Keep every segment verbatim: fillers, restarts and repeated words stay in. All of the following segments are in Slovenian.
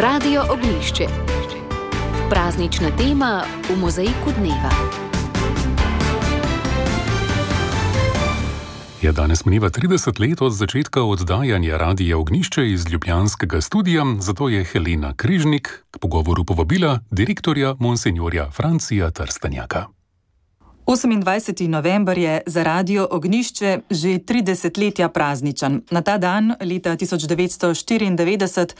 Radio Ognjišče. Praznična tema v mozaiku dneva. Je danes mineva trideset let od začetka oddajanja Radia Ognjišče iz ljubljanskega studia, zato je Helena Križnik k pogovoru povabila direktorja monsinjorja Francija Trstenjaka. osemindvajseti november je za Radio Ognjišče že tri desetletja prazničen. Na ta dan, leta tisoč devetsto štiriindevetdeset,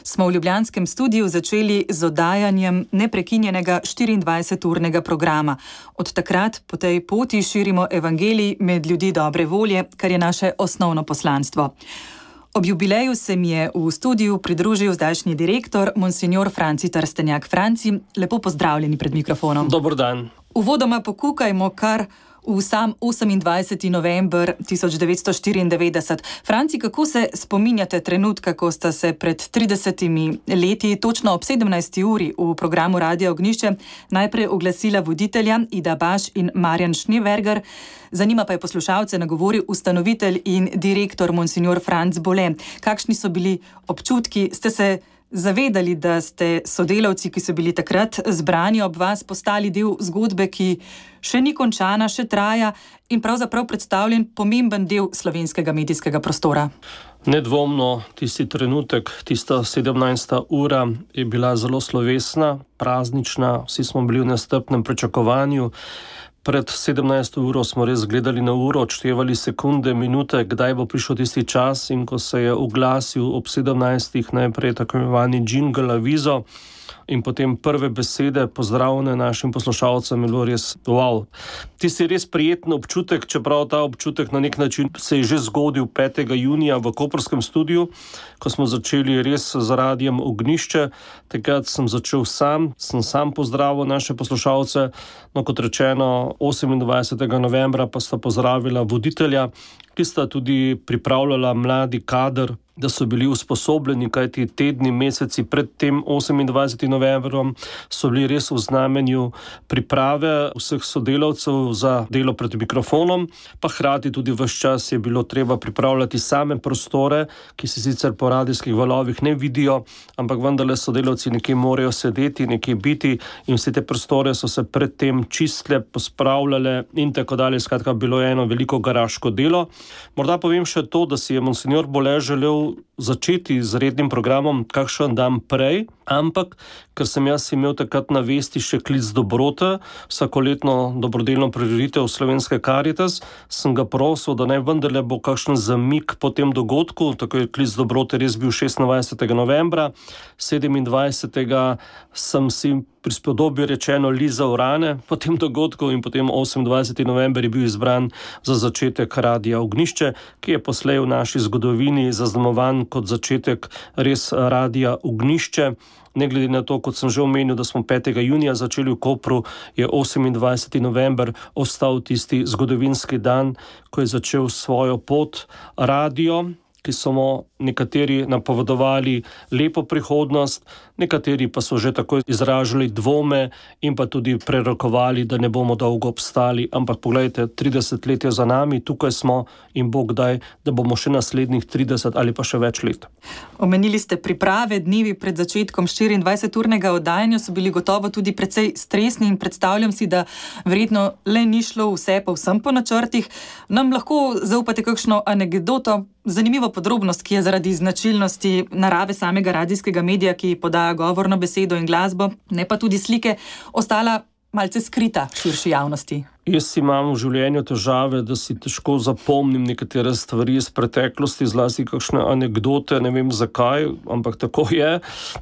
smo v ljubljanskem studiu začeli z oddajanjem neprekinjenega štiriindvajseturnega programa. Od takrat po tej poti širimo evangelij med ljudi dobre volje, kar je naše osnovno poslanstvo. Ob jubileju se mi je v studiu pridružil zdajšnji direktor, monsinjor Franci Trstenjak. Franci, lepo pozdravljeni pred mikrofonom. Dober dan. Uvodoma pokukajmo kar v sam osemindvajseti november tisoč devetsto štiriindevetdeset. Franci, kako se spominjate trenutka, ko sta se pred tridesetimi leti, točno ob sedemnajsti uri v programu Radia Ognjišče, najprej oglasila voditelja Ida Baš in Marjan Schneeberger, za njima pa je poslušalce nagovoril ustanovitelj in direktor monsinjor Franc Bole. Kakšni so bili občutki? Ste se zavedali, da ste sodelavci, ki so bili takrat zbrani ob vas, postali del zgodbe, ki še ni končana, še traja in pravzaprav predstavljen pomemben del slovenskega medijskega prostora? Nedvomno, tisti trenutek, tista sedemnajsta ura je bila zelo slovesna, praznična, vsi smo bili v nestrpnem pričakovanju. Pred sedemnajsto uro smo res gledali na uro, odštevali sekunde, minute, kdaj bo prišel tisti čas, in ko se je oglasil ob sedemnajstih najprej tako imenovani jingle avizo in potem prve besede pozdravljene našim poslušalcem, je bilo res wow. Tisti res prijeten občutek, čeprav ta občutek na nek način se je že zgodil petega junija v koprskem studiu, ko smo začeli res z Radijem Ognjišče. Takrat sem začel sam, sem sam pozdravil naše poslušalce, no kot rečeno, osemindvajsetega novembra pa sta pozdravila voditelja, ki sta tudi pripravljala mladi kader, da so bili usposobljeni, kajti tedni, meseci pred tem osemindvajsetim novembrom so bili res v znamenju priprave vseh sodelavcev za delo pred mikrofonom, pa hkrati tudi ves čas je bilo treba pripravljati same prostore, ki se sicer po radijskih valovih ne vidijo, ampak vendarle sodelavci nekje morajo sedeti, nekje biti, in vse te prostore so se predtem čistile, pospravljale in tako dalje. Skratka, bilo je eno veliko garaško delo. Morda povem še to, da si je monsinjor Bole želel začeti z rednim programom kakšen dan prej, ampak ker sem jaz imel takrat na vesti še klic dobrote, vsakoletno dobrodelno prireditev Slovenske Karitas, sem ga prosil, da naj vendarle bo kakšen zamik po tem dogodku. Tako je klic dobrote res bil šestindvajsetega novembra, sedemindvajsetega sem si prispodobi rečeno lizal rane po tem dogodku in potem osemindvajseti november je bil izbran za začetek Radia Ognjišče, ki je poslej v naši zgodovini zaznamovan kot začetek res Radia Ognjišče. Ne glede na to, kot sem že omenil, da smo petega junija začeli v Kopru, je osemindvajseti november ostal tisti zgodovinski dan, ko je začel svojo pot radio, ki so mu nekateri napovedovali lepo prihodnost, nekateri pa so že tako izražali dvome in pa tudi prerokovali, da ne bomo dolgo obstali. Ampak poglejte, trideset let je za nami, tukaj smo in Bog daj, da bomo še naslednjih trideset ali pa še več let. Omenili ste priprave, dnevi pred začetkom štiriindvajseturnega oddajanja so bili gotovo tudi precej stresni in predstavljam si, da verjetno le ni šlo vse povsem po načrtih. Nam lahko zaupate kakšno anekdoto, zanimivo podrobnost, ki je zaradi značilnosti narave samega radijskega medija, ki podaja govorno besedo in glasbo, ne pa tudi slike, ostala malce skrita širši javnosti? Jaz imam v življenju težave, da si težko zapomnim nekatere stvari iz preteklosti, zlasti kakšne anekdote, ne vem zakaj, ampak tako je.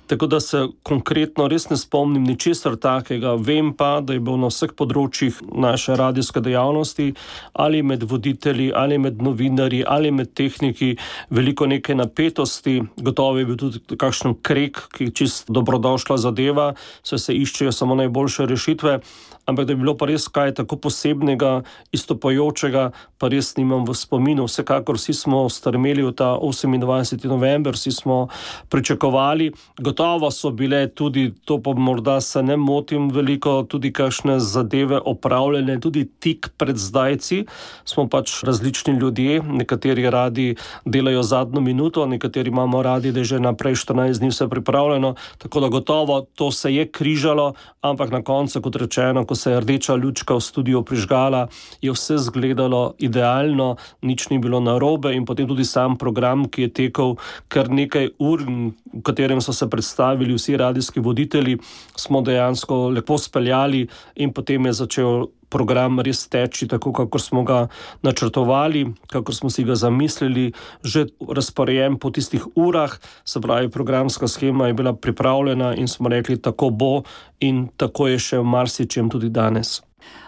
Tako da se konkretno res ne spomnim ničesar takega. Vem pa, da je bil na vseh področjih naše radijske dejavnosti, ali med voditelji, ali med novinarji, ali med tehniki, veliko neke napetosti. Gotovo je bil tudi kakšen krek, ki je čist dobrodošla zadeva, saj se iščejo samo najboljše rešitve. ampak da je bilo pa res kaj tako posebnega, izstopajočega, pa res nimam v spominu. Vsekakor vsi smo strmeli v ta osemindvajseti november, vsi smo pričakovali. Gotovo so bile tudi, to pa morda se ne motim veliko, tudi kakšne zadeve opravljene, tudi tik pred zdajci. Smo pač različni ljudje, nekateri radi delajo zadnjo minuto, nekateri imamo radi, da je že naprej štirinajst dni vse pripravljeno, tako da gotovo to se je križalo, ampak na koncu, kot rečeno, ko se je rdeča lučka v studiu prižgala, je vse zgledalo idealno, nič ni bilo narobe in potem tudi sam program, ki je tekel kar nekaj ur, v katerem so se predstavili vsi radijski voditelji, smo dejansko lepo speljali in potem je začel program res teči tako, kako smo ga načrtovali, kako smo si ga zamislili, že razporejen po tistih urah, se pravi, programska shema je bila pripravljena in smo rekli, tako bo in tako je še v marsičem tudi danes.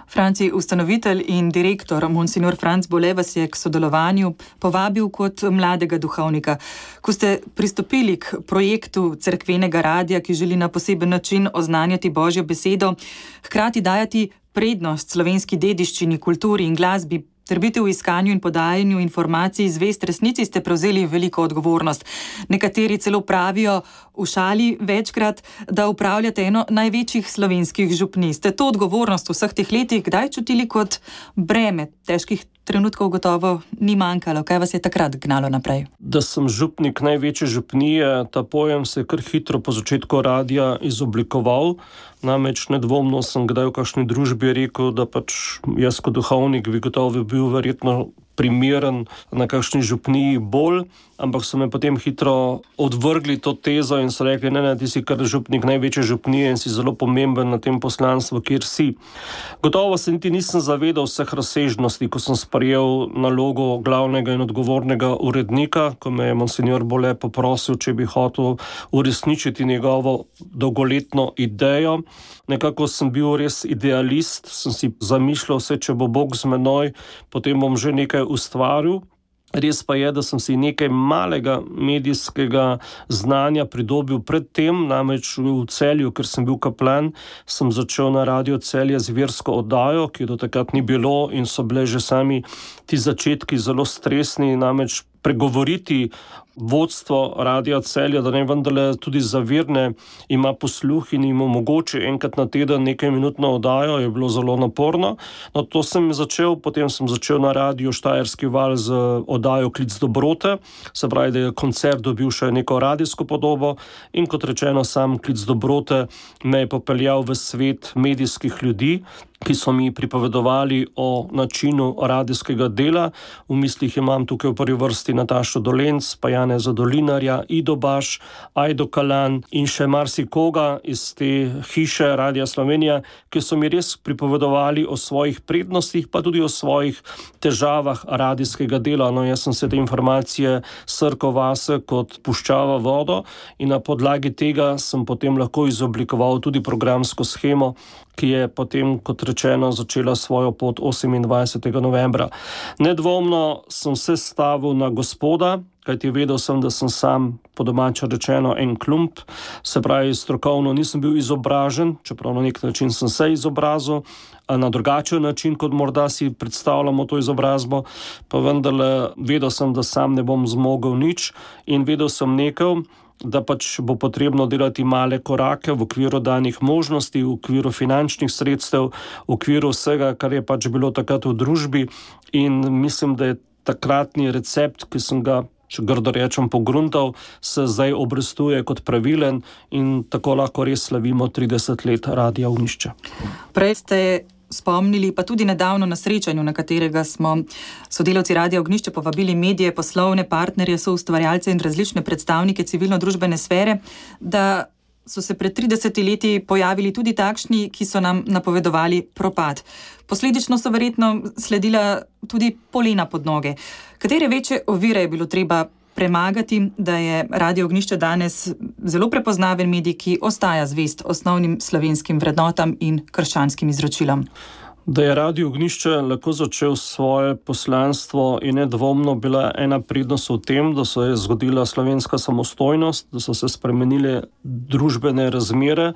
Franci, ustanovitelj in direktor Monsignor Franc Bole vas je k sodelovanju povabil kot mladega duhovnika. Ko ste pristopili k projektu cerkvenega radia, ki želi na poseben način oznanjati Božjo besedo, hkrati dajati prednost slovenski dediščini, kulturi in glasbi, ter biti v iskanju in podajanju informacij zvest resnici, ste prevzeli veliko odgovornost. Nekateri celo pravijo v šali večkrat, da upravljate eno največjih slovenskih župnij. Ste to odgovornost v vseh teh letih kdaj čutili kot breme? Težkih trenutkov gotovo ni manjkalo. Kaj vas je takrat gnalo naprej? Da sem župnik največje župnije, ta pojem se je kar hitro po začetku radia izoblikoval. Namreč nedvomno sem kdaj v kakšni družbi rekel, da pač jaz kot duhovnik bi gotovo bil verjetno primeren na kakšni župniji bolj, ampak so me potem hitro odvrgli to tezo in so rekli, ne, ne, ti si kar župnik največje župnije in si zelo pomemben na tem poslanstvu, kjer si. Gotovo se niti nisem zavedal vseh razsežnosti, ko sem sprejel nalogo glavnega in odgovornega urednika, ko me je Monsignor Bole poprosil, če bi hotel uresničiti njegovo dolgoletno idejo. Nekako sem bil res idealist, sem si zamišljal vse, če bo Bog z menoj, potem bom že nekaj ustvaril. Res pa je, da sem si nekaj malega medijskega znanja pridobil pred tem, namreč v Celju, ker sem bil kaplan, sem začel na Radio Celje z versko oddajo, ki do takrat ni bilo in so bile že sami ti začetki zelo stresni, namreč pregovoriti vodstvo Radia Celja, da ne vendarle tudi za verne ima posluh in jim omogoči enkrat na teden nekaj minutno oddajo, je bilo zelo naporno. No, to sem začel, potem sem začel na Radiu Štajerski val z oddajo Klic dobrote, se pravi, da je koncert dobil še neko radijsko podobo in kot rečeno, sam Klic dobrote me je popeljal v svet medijskih ljudi, ki so mi pripovedovali o načinu radijskega dela. V mislih imam tukaj v prvi vrsti Natašo Dolenc, pa Janeza Dolinarja, Ido Baš, Ajdo Kalan in še marsikoga iz te hiše Radia Slovenija, ki so mi res pripovedovali o svojih prednostih, pa tudi o svojih težavah radijskega dela. No, jaz sem se te informacije srkal vase kot puščava vodo in na podlagi tega sem potem lahko izoblikoval tudi programsko shemo, ki je potem, kot rečeno, začela svojo pot osemindvajsetega novembra. Nedvomno sem se stavil na Gospoda, kajti vedel sem, da sem sam, po domače rečeno, en klump, se pravi, strokovno nisem bil izobražen, čeprav na nek način sem se izobrazil, na drugačen način, kot morda si predstavljamo to izobrazbo, pa vendarle vedel sem, da sam ne bom zmogel nič in vedel sem nekaj, da pač bo potrebno delati male korake v okviru danih možnosti, v okviru finančnih sredstev, v okviru vsega, kar je pač bilo takrat v družbi in mislim, da je takratni recept, ki sem ga, če grdo rečem, pogruntal, se zdaj obrestuje kot pravilen in tako lahko res slavimo trideset let Radia Ognjišče. Prej ste spomnili, pa tudi nedavno na srečanju, na katerega smo sodelavci Radia Ognjišče povabili medije, poslovne partnerje, soustvarjalce in različne predstavnike civilno-družbene sfere, da so se pred tridesetimi leti pojavili tudi takšni, ki so nam napovedovali propad. Posledično so verjetno sledila tudi polena pod noge. Katere večje ovire je bilo treba premagati, da je Radio Ognjišče danes zelo prepoznaven medij, ki ostaja zvest osnovnim slovenskim vrednotam in krščanskim izročilom? Da je Radio Ognjišče lahko začel svoje poslanstvo in nedvomno bila ena prednost v tem, da se je zgodila slovenska samostojnost, da so se spremenile družbene razmere,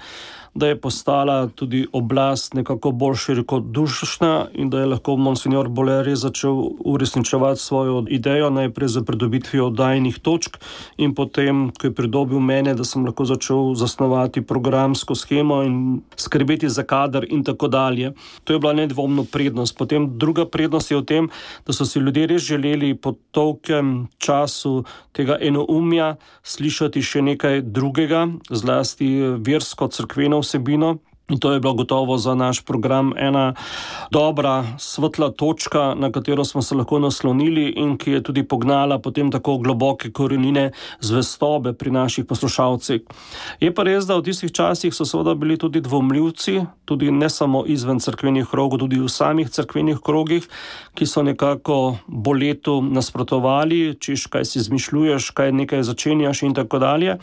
da je postala tudi oblast nekako bolj širikodušna in da je lahko monsinjor Boleri začel uresničevati svojo idejo, najprej za pridobitvijo oddajnih točk in potem, ko je pridobil mene, da sem lahko začel zasnovati programsko shemo in skrbeti za kader in tako dalje. To je bila nedvomno prednost. Potem druga prednost je v tem, da so si ljudje res želeli po tolkem času tega enoumja slišati še nekaj drugega, zlasti versko cerkveno vsebino. In to je bilo gotovo za naš program ena dobra, svetla točka, na katero smo se lahko naslonili in ki je tudi pognala potem tako globoke korenine zvestobe pri naših poslušalcih. Je pa res, da v tistih časih so seveda bili tudi dvomljivci, tudi ne samo izven cerkvenih krogov, tudi v samih cerkvenih krogih, ki so nekako boletu nasprotovali, češ kaj si izmišljuješ, kaj nekaj začenjaš in tako dalje.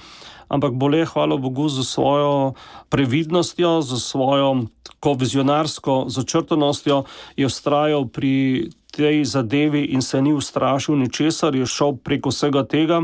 Ampak Bole, hvala Bogu, za svojo previdnostjo, za svojo tako vizionarsko začrtanostjo je vztrajal pri tej zadevi in se ni ustrašil ničesar, je šel preko vsega tega.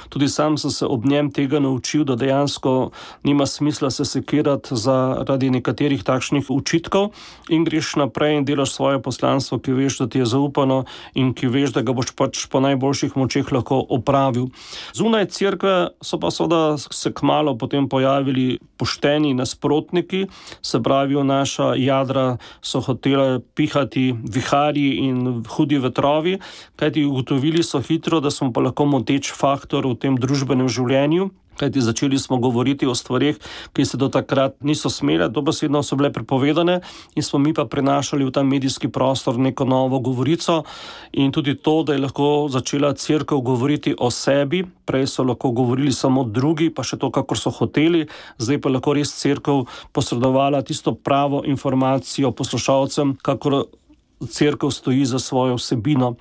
Tudi sam sem se ob njem tega naučil, da dejansko nima smisla se sekirati zaradi nekaterih takšnih učitkov in greš naprej in delaš svoje poslanstvo, ki veš, da ti je zaupano in ki veš, da ga boš pač po najboljših močeh lahko opravil. Zunaj cerkve so pa seveda se kmalu potem pojavili pošteni nasprotniki, se pravi, naša jadra so hotele pihati viharji in hudi vetrovi, kajti ugotovili so hitro, da smo pa lahko moteč faktor v tem družbenem življenju, kajti začeli smo govoriti o stvarih, ki se do takrat niso smele, dobesedno so bile prepovedane in smo mi pa prenašali v ta medijski prostor neko novo govorico in tudi to, da je lahko začela cerkev govoriti o sebi, prej so lahko govorili samo drugi, pa še to, kakor so hoteli, zdaj pa lahko res cerkev posredovala tisto pravo informacijo poslušalcem, kakor cerkev stoji za svojo vsebino.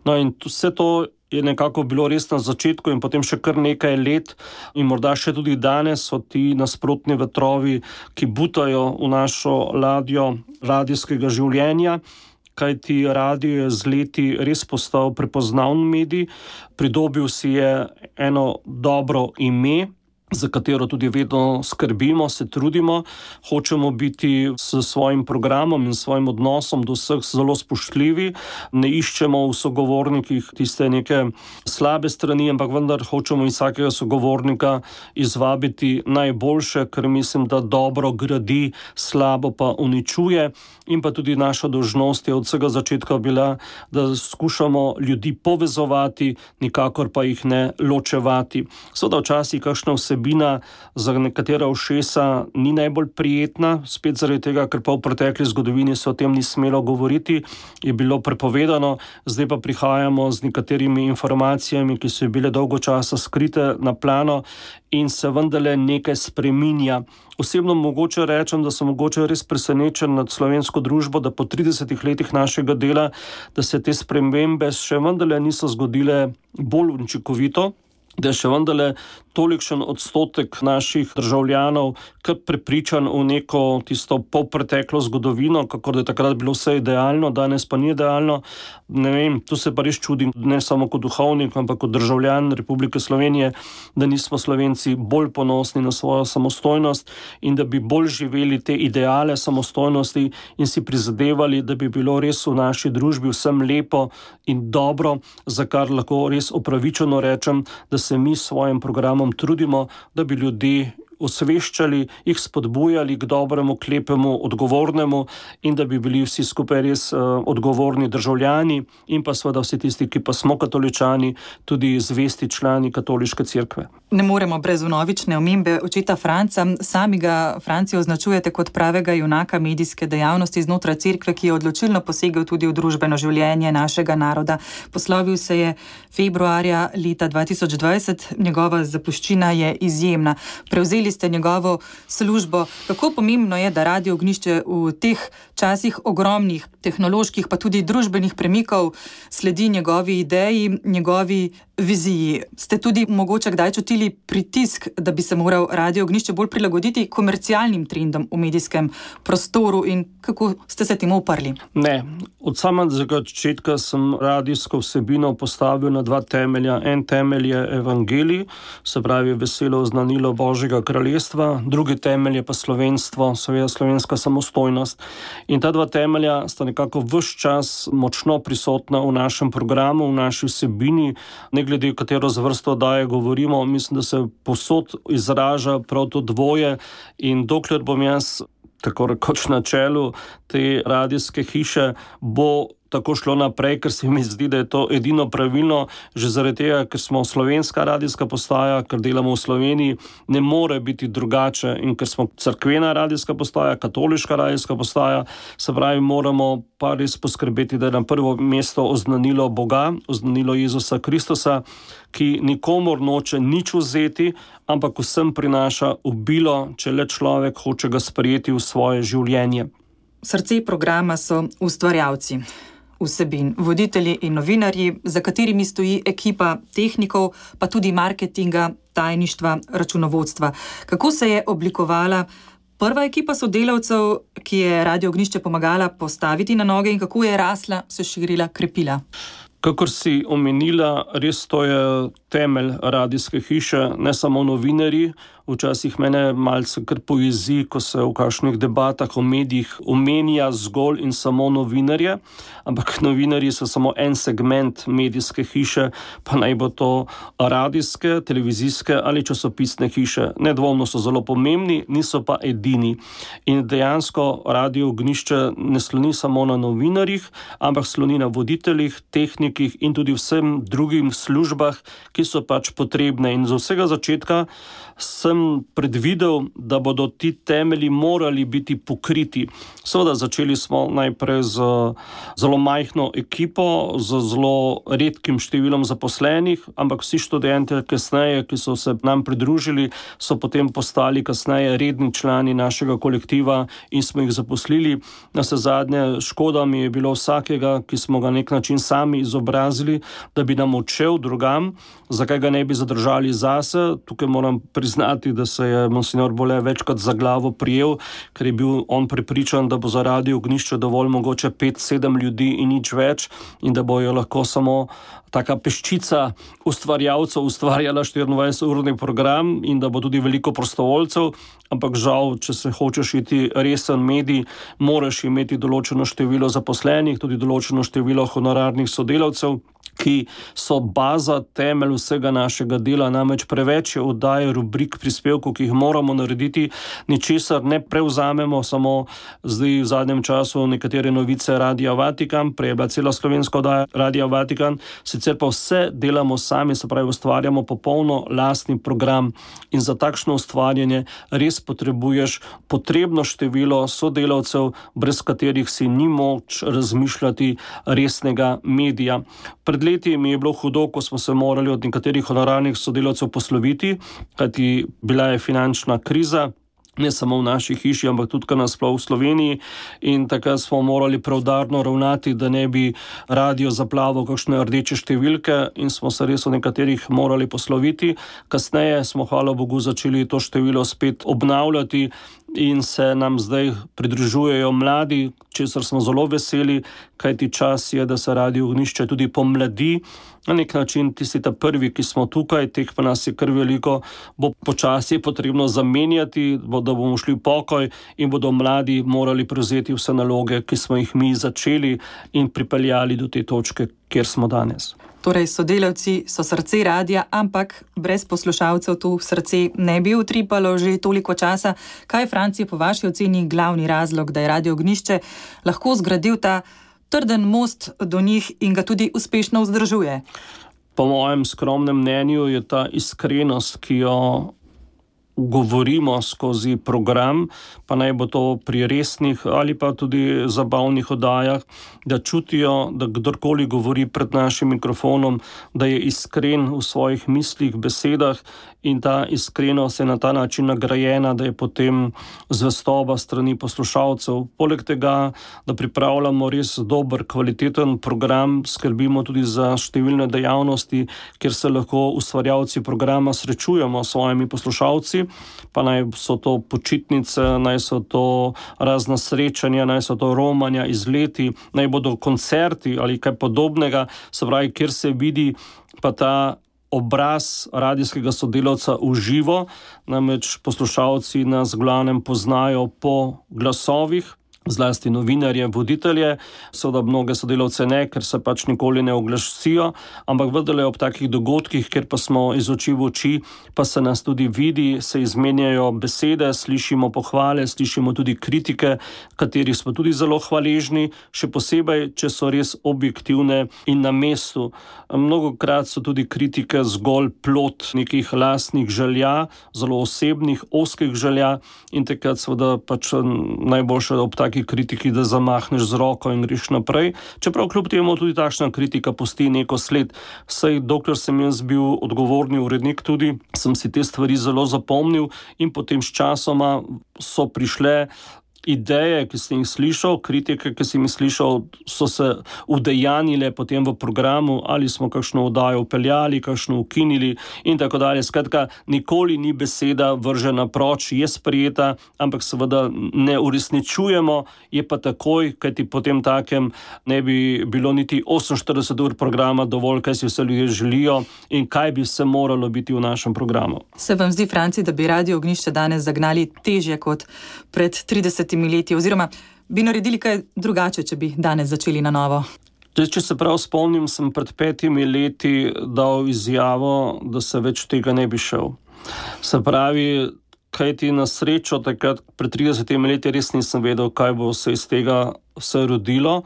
No in vse to je nekako bilo res na začetku in potem še kar nekaj let in morda še tudi danes so ti nasprotni vetrovi, ki butajo v našo ladjo radijskega življenja, kajti radio je z leti res postal prepoznaven medij, pridobil si je eno dobro ime, za katero tudi vedno skrbimo, se trudimo, hočemo biti s svojim programom in svojim odnosom do vseh zelo spoštljivi, ne iščemo v sogovornikih tiste neke slabe strani, ampak vendar hočemo iz vsakega sogovornika izvabiti najboljše, ker mislim, da dobro gradi, slabo pa uničuje in pa tudi naša dolžnost je od vsega začetka bila, da skušamo ljudi povezovati, nikakor pa jih ne ločevati. Seveda včasih kakšna vsebina za nekatera ušesa ni najbolj prijetna, spet zaradi tega, ker pa v pretekli zgodovini se o tem ni smelo govoriti, je bilo prepovedano, zdaj pa prihajamo z nekaterimi informacijami, ki so bile dolgo časa skrite na plano in se vendarle nekaj spreminja. Osebno mogoče rečem, da sem mogoče res presenečen nad slovensko družbo, da po tridesetih letih našega dela, da se te spremembe še vendarle niso zgodile bolj učinkovito, da je še vendarle tolikšen odstotek naših državljanov kar prepričan v neko tisto polpreteklo zgodovino, kako da je takrat bilo vse idealno, danes pa ni idealno. Ne vem, tu se pa res čudim, ne samo kot duhovnik, ampak kot državljan Republike Slovenije, da nismo Slovenci bolj ponosni na svojo samostojnost in da bi bolj živeli te ideale samostojnosti in si prizadevali, da bi bilo res v naši družbi vsem lepo in dobro, za kar lahko res opravičeno rečem, da se mi s svojim programom trudimo, da bi ljudi osveščali, jih spodbujali k dobremu, k lepemu, odgovornemu in da bi bili vsi skupaj res uh, odgovorni državljani in pa seveda vsi tisti, ki pa smo katoličani, tudi zvesti člani katoliške cerkve. Ne moremo brez vnovične omembe očeta Franca. Sami ga, Franci, označujete kot pravega junaka medijske dejavnosti znotraj cerkve, ki je odločilno posegel tudi v družbeno življenje našega naroda. Poslovil se je februarja leta dva tisoč dvajset, njegova zapuščina je izjemna. Prevzeli ste njegovo službo. Kako pomembno je, da Radio Ognjišče v teh časih ogromnih tehnoloških pa tudi družbenih premikov sledi njegovi ideji, njegovi viziji? Ste tudi mogoče kdaj čutili pritisk, da bi se moral Radio Ognjišče bolj prilagoditi komercialnim trendom v medijskem prostoru in kako ste se temu uprli? Ne. Od samega začetka sem radijsko vsebino postavil na dva temelja. En temelj je evangelij, se pravi veselo oznanilo Božjega kralja kraljestva, drugi temelj je pa slovenstvo, seveda slovenska samostojnost. In ta dva temelja sta nekako ves čas močno prisotna v našem programu, v naši vsebini, ne glede katero zvrsto oddaje govorimo, mislim, da se povsod izraža prav to dvoje in dokler bom jaz tako rekoč na čelu te radijske hiše, bo tako šlo naprej, ker se mi zdi, da je to edino pravilno, že zaradi tega, ker smo slovenska radijska postaja, ker delamo v Sloveniji, ne more biti drugače in ker smo cerkvena radijska postaja, katoliška radijska postaja, se pravi, moramo pa res poskrbeti, da je na prvo mesto oznanilo Boga, oznanilo Jezusa Kristusa, ki nikomor noče nič vzeti, ampak vsem prinaša obilo, če le človek hoče ga sprejeti v svoje življenje. Srce programa so ustvarjalci vsebin, voditelji in novinarji, za katerimi stoji ekipa tehnikov, pa tudi marketinga, tajništva, računovodstva. Kako se je oblikovala prva ekipa sodelavcev, ki je Radio Ognjišče pomagala postaviti na noge in kako je rasla, se širila, krepila? Kakor si omenila, res to je temelj radijske hiše, ne samo novinarji. Včasih mene malce kar pojezi, ko se v kakšnih debatah o medijih omenja zgolj in samo novinarje, ampak novinarji so samo en segment medijske hiše, pa naj bo to radijske, televizijske ali časopisne hiše. Nedvomno so zelo pomembni, niso pa edini. In dejansko Radio Ognjišče ne sloni samo na novinarjih, ampak sloni na voditeljih, tehnikih in tudi vsem drugim službah, ki so pač potrebne. In z vsega začetka sem predvidel, da bodo ti temelji morali biti pokriti. Seveda začeli smo najprej z zelo majhno ekipo, z zelo redkim številom zaposlenih, ampak vsi študenti kasneje, ki so se nam pridružili, so potem postali kasneje redni člani našega kolektiva in smo jih zaposlili. Na vse zadnje škoda mi je bilo vsakega, ki smo ga nek način sami izobrazili, da bi nam odšel drugam, zakaj ga ne bi zadržali zase. Tukaj moram priznati, da se je monsinjor Bole večkrat za glavo prijel, ker je bil on prepričan, da bo za Radio Ognjišče dovolj mogoče pet, sedem ljudi in nič več in da bojo lahko samo taka peščica ustvarjalcev ustvarjala štiriindvajseturni program in da bo tudi veliko prostovoljcev, ampak žal, če se hočeš iti resen medij, moraš imeti določeno število zaposlenih, tudi določeno število honorarnih sodelavcev, ki so baza, temelj vsega našega dela, namreč preveč je oddaje, rubrik, prispevkov, ki jih moramo narediti, ničesar ne prevzamemo, samo zdaj v zadnjem času nekatere novice Radia Vatikan, prej je bila cela slovenska oddaja Radia Vatikan, sicer pa vse delamo sami, se pravi, ustvarjamo popolno lastni program in za takšno ustvarjanje res potrebuješ potrebno število sodelavcev, brez katerih si ni moč razmišljati resnega medija. Pred leti mi je bilo hudo, ko smo se morali od nekaterih honorarnih sodelavcev posloviti, kajti bila je finančna kriza, ne samo v naši hiši, ampak tudi nasploh v Sloveniji in takrat smo morali preudarno ravnati, da ne bi radio zaplaval kakšne rdeče številke in smo se res od nekaterih morali posloviti. Kasneje smo, hvala Bogu, začeli to število spet obnavljati in se nam zdaj pridružujejo mladi, česar smo zelo veseli, kajti čas je, da se Radio Ognjišče tudi pomladi. Na nek način tisti ta prvi, ki smo tukaj, teh pa nas je kar veliko, bo počasi potrebno zamenjati, da bomo šli v pokoj in bodo mladi morali prevzeti vse naloge, ki smo jih mi začeli in pripeljali do te točke, kjer smo danes. Torej, sodelavci so srce radia, ampak brez poslušalcev to srce ne bi utripalo že toliko časa. Kaj je, Franci, po vaši oceni glavni razlog, da je Radio Ognjišče lahko zgradil ta trden most do njih in ga tudi uspešno vzdržuje? Po mojem skromnem mnenju je ta iskrenost, ki jo govorimo skozi program, pa naj bo to pri resnih ali pa tudi zabavnih oddajah, da čutijo, da kdorkoli govori pred našim mikrofonom, da je iskren v svojih mislih, besedah in ta iskrenost je na ta način nagrajena, da je potem zvestoba strani poslušalcev. Poleg tega, da pripravljamo res dober, kvaliteten program, skrbimo tudi za številne dejavnosti, kjer se lahko ustvarjalci programa srečujemo s svojimi poslušalci, pa naj so to počitnice, naj so to razna srečanja, naj so to romanja, izleti, naj bodo koncerti ali kaj podobnega, se pravi, kjer se vidi pa ta obraz radijskega sodelavca v živo, namreč poslušalci nas glavnem poznajo po glasovih, zlasti novinarje, voditelje, seveda mnoge sodelavce ne, ker se pač nikoli ne oglasijo, ampak vendarle ob takih dogodkih, ker pa smo iz oči v oči, pa se nas tudi vidi, se izmenjajo besede, slišimo pohvale, slišimo tudi kritike, katerih smo tudi zelo hvaležni, še posebej, če so res objektivne in na mestu. Mnogokrat so tudi kritike zgolj plod nekih lastnih želja, zelo osebnih, ozkih želja in takrat seveda pač najboljše ob takih kritiki, da zamahneš z roko in greš naprej. Čeprav kljub temu tudi takšna kritika pusti neko sled. Saj dokler sem jaz bil odgovorni urednik tudi, sem si te stvari zelo zapomnil in potem s časoma so prišle ideje, ki sem jih slišal, kritike, ki sem jih slišal, so se udejanile potem v programu, ali smo kakšno oddajo upeljali, kakšno ukinili in tako dalje. Skratka, nikoli ni beseda vržena proč, je sprejeta, ampak seveda ne uresničujemo, je pa takoj, kajti potem takem ne bi bilo niti oseminštirideset ur programa dovolj, kaj si vse ljudje želijo in kaj bi vse moralo biti v našem programu. Se vam zdi, Franci, da bi Radio Ognjišče danes zagnali težje kot pred tridesetimi leti, oziroma bi naredili kaj drugače, če bi danes začeli na novo? Če se prav spomnim, sem pred petimi leti dal izjavo, da se več tega ne bi šel. Se pravi, kaj ti na srečo takrat pred tridesetimi leti res nisem vedel, kaj bo se iz tega vse rodilo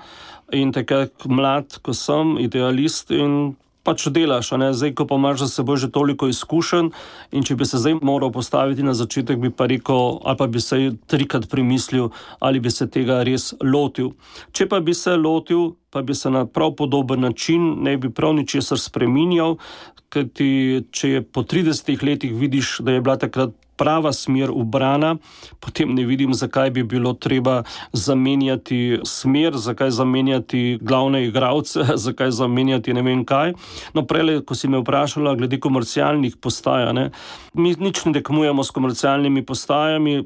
in takrat mlad, ko sem idealist in pač delaš, a ne? Zdaj, ko pa imaš za seboj že toliko izkušenj in če bi se zdaj moral postaviti na začetek, bi pa rekel, ali pa bi se trikrat premislil, ali bi se tega res lotil. Če pa bi se lotil, pa bi se na prav podoben način, ne bi prav ničesar spreminjal, kajti če je po tridesetih letih vidiš, da je bila takrat prava smer ubrana, potem ne vidim, zakaj bi bilo treba zamenjati smer, zakaj zamenjati glavne igralce, zakaj zamenjati ne vem kaj. No, prej, ko si me vprašala glede komercialnih postaj, ne, mi nič ne tekmujemo s komercialnimi postajami.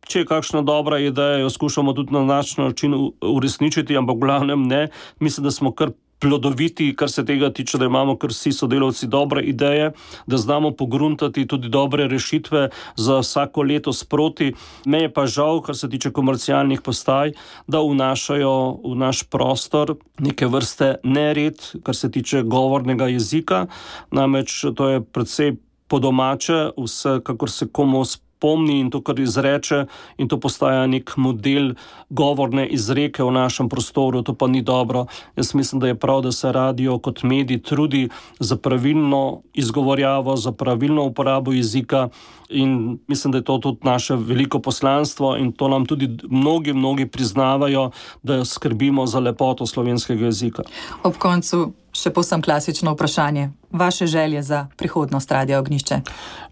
Če je kakšna dobra ideja, jo skušamo tudi na naš način uresničiti, ampak v glavnem ne. Mislim, da smo kar plodoviti, kar se tega tiče, da imamo kar vsi sodelavci dobre ideje, da znamo pogruntati tudi dobre rešitve za vsako leto sproti. Me je pa žal, kar se tiče komercialnih postaj, da vnašajo v naš prostor neke vrste nered, kar se tiče govornega jezika. Namreč to je precej po domače, vse, kakor se komu pomni in to, kar izreče, in to postaja nek model govorne izreke v našem prostoru, to pa ni dobro. Jaz mislim, da je prav, da se radio kot medij trudi za pravilno izgovorjavo, za pravilno uporabo jezika in mislim, da je to tudi naše veliko poslanstvo in to nam tudi mnogi, mnogi priznavajo, da skrbimo za lepoto slovenskega jezika. Ob koncu še povsem klasično vprašanje. Vaše želje za prihodnost Radia Ognjišče?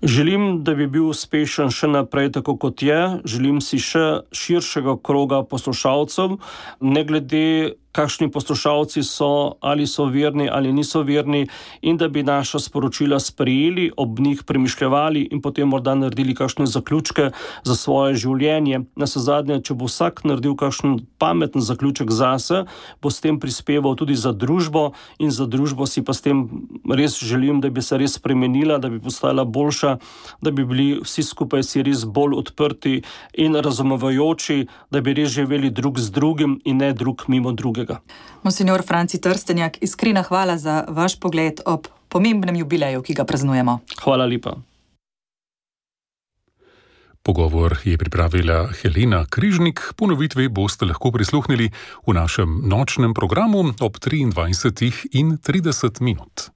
Želim, da bi bil uspešen še naprej tako, kot je. Želim si še širšega kroga poslušalcev, ne glede kakšni poslušalci so, ali so verni ali niso verni, in da bi naša sporočila sprejeli, ob njih premišljevali in potem morda naredili kakšne zaključke za svoje življenje. Navsezadnje, če bo vsak naredil kakšen pameten zaključek zase, bo s tem prispeval tudi za družbo in za družbo si pa s tem res želim, da bi se res spremenila, da bi postala boljša, da bi bili vsi skupaj si res bolj odprti in razumevajoči, da bi res živeli drug z drugim in ne drug mimo drugega. Monsinjor Franci Trstenjak, iskrena hvala za vaš pogled ob pomembnem jubileju, ki ga praznujemo. Hvala lepa. Pogovor je pripravila Helena Križnik, ponovitvi boste lahko prisluhnili v našem nočnem programu ob triindvajsetih in trideset minut.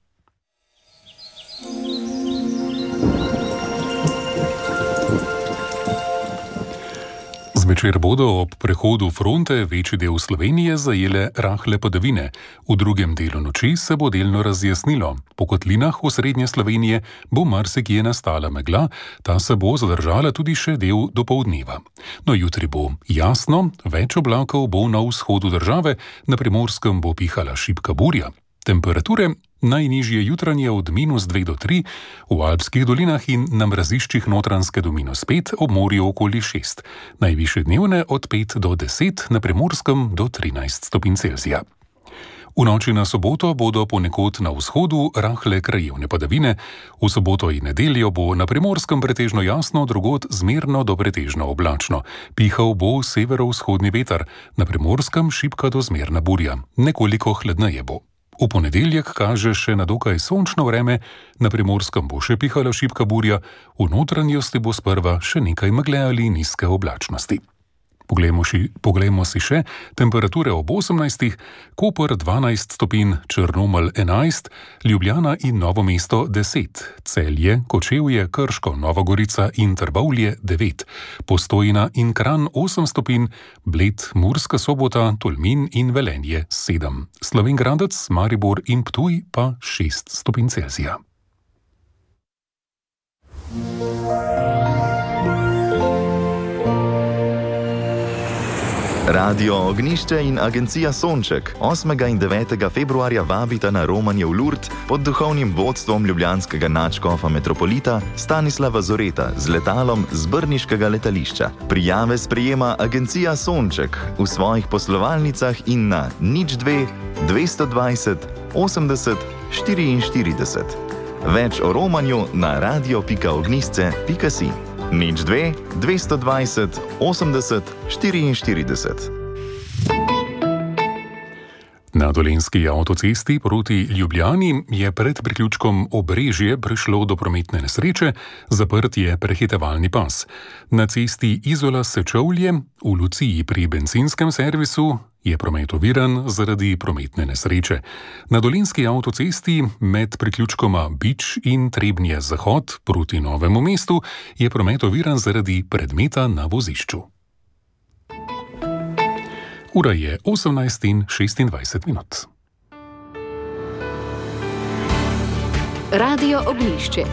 Zvečer bodo ob prehodu fronte večji del Slovenije zajele rahle padavine. V drugem delu noči se bo delno razjasnilo. Po kotlinah v srednje Slovenije bo marsikje nastala megla, ta se bo zadržala tudi še del dopoldneva. No, jutri bo jasno, več oblakov bo na vzhodu države, na Primorskem bo pihala šibka burja. Temperature najnižje jutranje od minus dve do tri, v Alpskih dolinah in na mraziščih Notranjske do minus pet, ob morju okoli šest. Najvišje dnevne od pet do deset, na Primorskem do trinajst stopinj Celzija. V noči na soboto bodo ponekod na vzhodu rahle krajevne padavine, v soboto in nedeljo bo na Primorskem pretežno jasno, drugod zmerno do pretežno oblačno. Pihal bo severovzhodni veter, na Primorskem šibka do zmerna burja, nekoliko hladneje bo. V ponedeljek kaže še na dokaj sončno vreme, na Primorskem bo še pihala šibka burja, v notranjosti bo sprva še nekaj megle ali nizke oblačnosti. Poglejmo, ši, poglejmo si še temperature ob osemnajstih, Koper dvanajst stopinj, Črnomelj enajst, Ljubljana in Novo mesto deset, Celje, Kočevje, Krško, Nova Gorica in Trbovlje devet, Postojna in Kranj osem stopinj, Bled, Murska Sobota, Tolmin in Velenje sedem, Slovenj Gradec, Maribor in Ptuj pa šest stopinj Celzija. Radio Ognišče in agencija Sonček osmega in devetega februarja vabita na romanje v Lurd pod duhovnim vodstvom ljubljanskega nadškofa metropolita Stanislava Zoreta z letalom z brniškega letališča. Prijave sprejema agencija Sonček v svojih poslovalnicah in na nič dve dvesto dvajset osemdeset štiriinštirideset. Več o romanju na radio pika ognjišče pika si. nič dve dvesto dvajset osemdeset štiriinštirideset. Na dolenjski avtocesti proti Ljubljani je pred priključkom Obrežje prišlo do prometne nesreče, zaprt je prehitevalni pas. Na cesti Izola-Sečovlje v Luciji pri bencinskem servisu je promet oviran zaradi prometne nesreče. Na dolenjski avtocesti med priključkoma Bič in Trebnje-Zahod proti Novemu mestu je promet oviran zaradi predmeta na vozišču. Ura je osemnajst in šestindvajset minut. Radio Ognišče.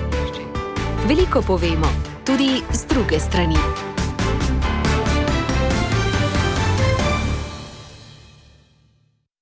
Veliko povemo, tudi z druge strani.